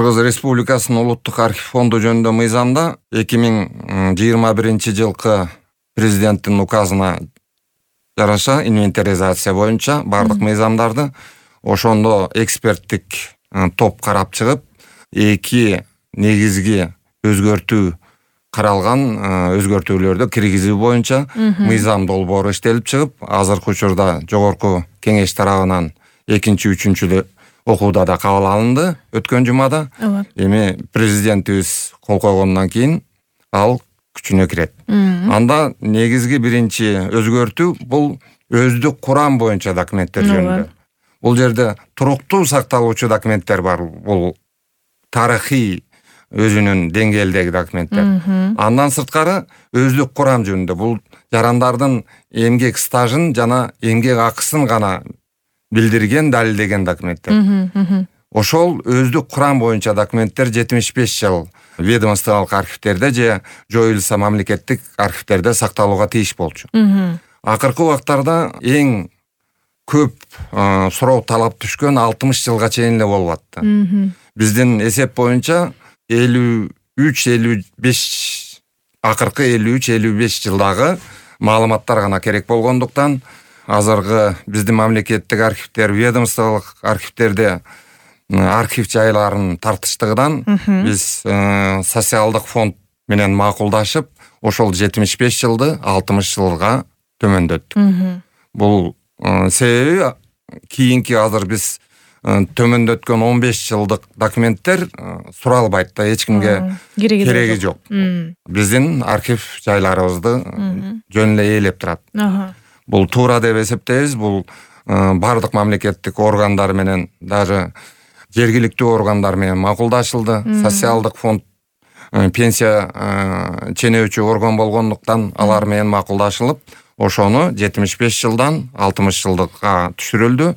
Кыргыз Республикасынын улуттук архив фонду жөнүндө мыйзамда 2021-жылкы президенттин указына жараша инвентаризация боюнча бардык мыйзамдарды ошондо эксперттик топ карап чыгып, 2 негизги өзгөртүү каралган өзгөртүүлөрдү киргизүү боюнча мыйзам долбоору иштелип чыгып, азыркы учурда жогорку кеңеш тарабынан 2-3 окууда да кабыл алынды өткөн жумада. Эми президентибиз кол койгондон кийин ал күчүнө кирет. Анда негизги биринчи өзгөртүү бул өздүк курам боюнча документтер жөнүндө. Бул жерде туруктуу сакталуучу документтер бар. Бул тарыхый өзүнүн деңгээлдеги документтер. Андан сырткары өздүк курам жөнүндө бул жарандардын эмгек стажын жана эмгек акысын гана билдирген, далилдеген документтер. Ошол өздүк курам боюнча документтер 75 жыл ведомстволук архивтерде же жоюлса мамлекеттик архивтерде сакталууга тийиш болчу. Акыркы убактарда эң көп суроо талап түшкөн 60 жылга чейин эле болуп атты. Биздин эсеп боюнча 53-55 акыркы 53-55 жылдагы маалыматтар гана керек болгондуктан азыркы биздин мамлекеттик архивтер, ведомстволук архивтерде архив жайларын тартыштыгынан биз социалдык фонд менен макулдашып, ошол 75 жылды 60 жылга төмөндөттүк. Бул себеби кийинки азыр биз төмөндөткөн 15 жылдык документтер суралбайт да, эч кимге кереги жок. Биздин архив жайларыбызды жөн эле ээлеп турат. Бул туура деп эсептейбиз. Бул бардык мамлекеттик органдар менен, даже жергиликтүү органдар менен макулдашылды. Социалдык фонд пенсия ченөөчү орган болгондуктан алар менен макулдашылып, ошону 75 жылдан 60 жылдыкка түшүрүлдү.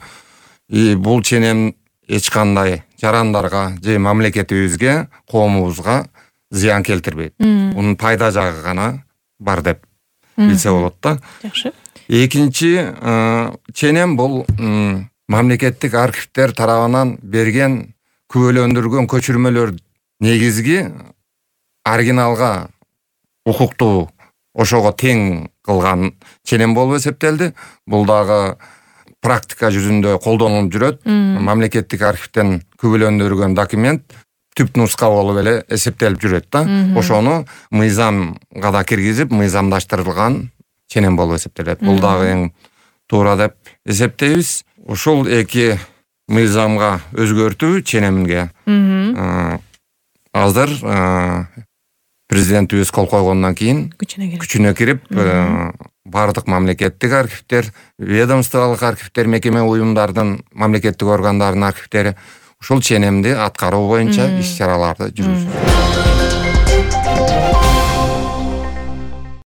Бул ченем эч кандай жарандарга же мамлекетибизге, коомубузга зыян келтирбейт. Мунун пайда жагы гана бар деп билсе болот да. Жакшы. Экинчи ченем бул мамлекеттик архивтер тарабынан берген күбөлөндүргөн көчүрмөлөр негизги оригиналга укуктуу, ошого тең кылган ченем болуп эсептелди. Бул дагы практика жүзүндө колдонулуп жүрөт. Мамлекеттик архивтен күбөлөндүргөн документ түп нуска болуп эле эсептелип жүрөт да. Ошону мыйзамга да киргизип, мыйзамдаштырылган ченем болуп эсептелет. Бул дагы эң туура деп эсептейбиз. Ошол эки мыйзамга өзгөртүү ченемге азыр президентибиз кол койгондон кийин күчүнө кирип, бардык мамлекеттик архивтер, ведомстволук архивтер, мекеме уюмдардын, мамлекеттик органдардын архивтери ушул ченемди аткаруу боюнча иш чараларды жүргүзөт.